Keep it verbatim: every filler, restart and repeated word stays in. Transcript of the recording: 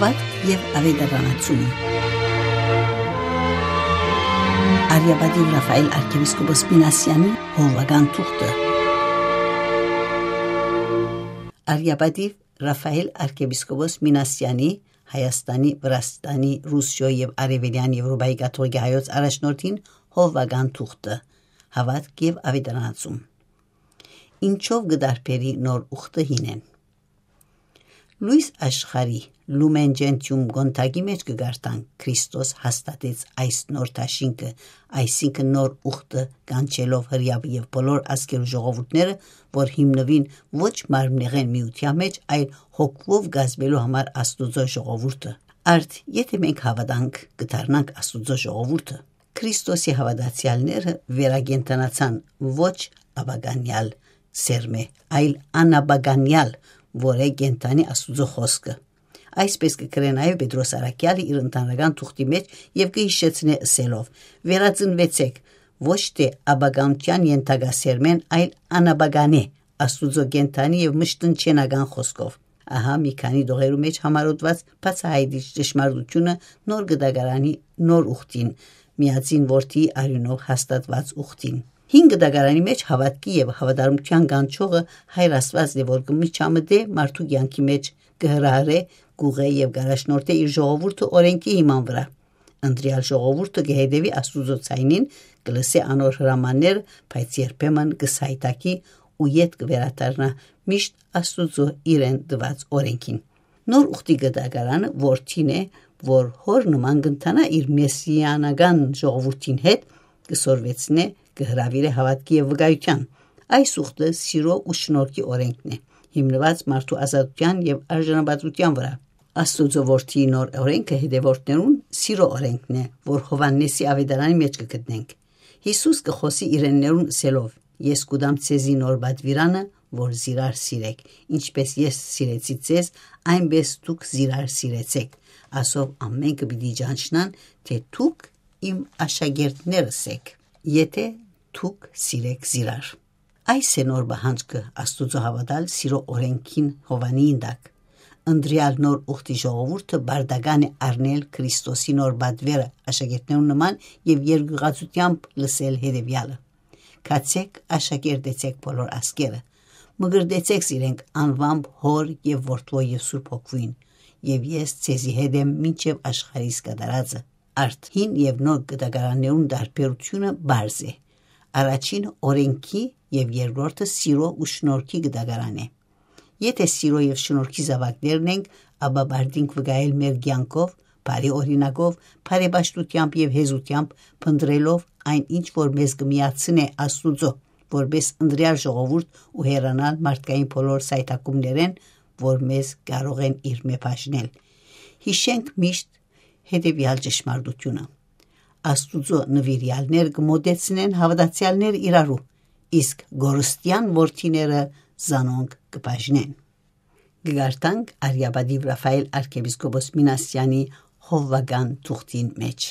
Պատգ եւ աւետարանացում։ Արիապատիւ Ռաֆայել արքեպիսկոպոս Մինասեանի հովուական թուղթը։ Արիապատիւ Ռաֆայել արքեպիսկոպոս Մինասեանի, Հայաստանի, Վրաստանի, Ռուսիոյ եւ Արեւելեան Եւրոպայի կաթողիկէ հայոց առաջնորդին հովուական թուղթը, հաւատք եւ աւետարանացում։ Ինչո՞վ կը տարբերի նոր ուխտը հինէն։ Լոյս աշխարհի, Lumen Gentium կոնթակի մէջ կը կարդանք. «Քրիստոս հաստատեց այս նոր դաշինքը, այսինքն նոր ուխտը, կանչելով Հրեաւը եւ բոլոր ազգերու ժողովուրդները, որ հիմնուին ոչ մարմնեղէն միութեան մէջ, այլ հոգուով կազմելու համար Աստուծոյ ժողովուրդը»։ Արդ, եթէ մենք հաւատանք, կը դառնանք Աստուծոյ ժողովուրդը։ Քրիստոսի հաւատացեալները վերակենդանացան ոչ ապականեալ սերմէ, այլ անապականեալ, որ է կենդանի Աստուծոյ խօսքը։ Այսպէս կը կրէ նաեւ Պետրոս առաքեալը իր ընդհանրական թուղթի մէջ եւ կը յիշեցնէ ըսելով. «Վերածնուեցէք, ոչ թէ ապականութեան ենթակայ սերմէն, այլ անապականէ, Աստուծոյ կենդանի եւ մշտնջենական խօսքով»։ Ահա մի քանի տողերու մէջ համարոտուած բացայայտիչ ճշմարտությունը նոր կտակարանի նոր ուխտին, միածին որդի արիւնով հաստատուած ուխտին։ Հին կտակարանի մէջ հաւատքի եւ հաւատարմութեան կանչողը Հայր Աստուածն է, որ կը միջամտէ մարդու կեանքի մէջ, կը հրահրէ, կ'ուղղէ եւ կ'առաջնորդէ իր ժողովուրդը օրէնքի հիման վրայ։ Ընտրեալ ժողովուրդը կը հետեւի Աստուծոյ ձայնին, կը լսէ անոր հրամանները, բայց երբեմն կը սայթաքի ու ետ կը վերադառնայ միշտ Աստուծոյ իրեն տուած օրէնքին։ Նոր ուխտի կտակարանը որդին է, որ հօր նման կ'ընթանայ իր մեսիանական ժողովուրդին հետ, կը սորվեցնէ, կը հրաւիրէ հաւատքի եւ վկայութեան։ Այս ուխտը սիրո ու շնորհքի օրէնքն է, հիմնուած մարդու ազատութեան եւ արժանապատվութեան վրայ։ Աստուծոյ որդիի նոր օրէնքը հետեւորդներուն սիրո օրէնքն է, որ Յովհաննէսի աւետարանի մէջ կը գտնենք։ Յիսուս կը խօսի իրեններուն ըսելով. «Ես կու տամ ձեզի նոր պատուիրանը, որ զիրար սիրէք, ինչպէս ես սիրեցի ձեզ, այնպէս դուք զիրար սիրեցէք»։ Ասով ամէնքը պիտի ճանչնան, թէ դուք իմ աշակերտներս էք, եթէ դուք սիրէք զիրար։ Այս է նոր պահանջքը Աստուծոյ հաւատալ սիրո օրէնքին Յովհաննիին տակ։ Ընտրեալ նոր ուխտի ժողովուրդը պարտական է առնել Քրիստոսի նոր պատուերը աշակերտներուն նման եւ երկյուղածութեամբ լսել հետեւեալը. «Գացէք, աշակերտեցէք բոլոր ազգերը, մկրտեցէք զիրենք անուամբ Հօր եւ Որդւոյ եւ Սուրբ Հոգւոյն, եւ ես ձեզի հետ եմ մինչեւ աշխարհիս կատարածը»։ Արդ, հին եւ նոր կտակարաններուն տարբերությունը պարզ է։ Առաջին օրէնքի եւ երկրորդը սիրո ու շնորհքի կտակարան է։ Եթէ սիրո եւ շնորհքի զաւակներն ենք, ապա պարտինք վկայել մեր կեանքով, բարի օրինակով, բարեպաշտութեամբ եւ հեզութեամբ, փնտռելով այն ինչ որ մեզ կը միացնէ Աստուծոյ, որպէս ընտրեալ ժողովուրդ ու հեռանալ մարդկային բոլոր սայթաքումներէն, որ մեզ կարող են իրմէ բաժնել։ Յիշենք միշտ հետեւեալ ճշմարտությունը. Աստուծոյ նուիրեալներ կը մօտեցնեն հաւատացեալները իրարու, իսկ կորստեան որդիները զանոնք կը բաժնեն։ Կը կարդանք Արիապատիվ Ռաֆայել արքեպիսկոպոս Մինասեանի հովուական թուղթին մէջ։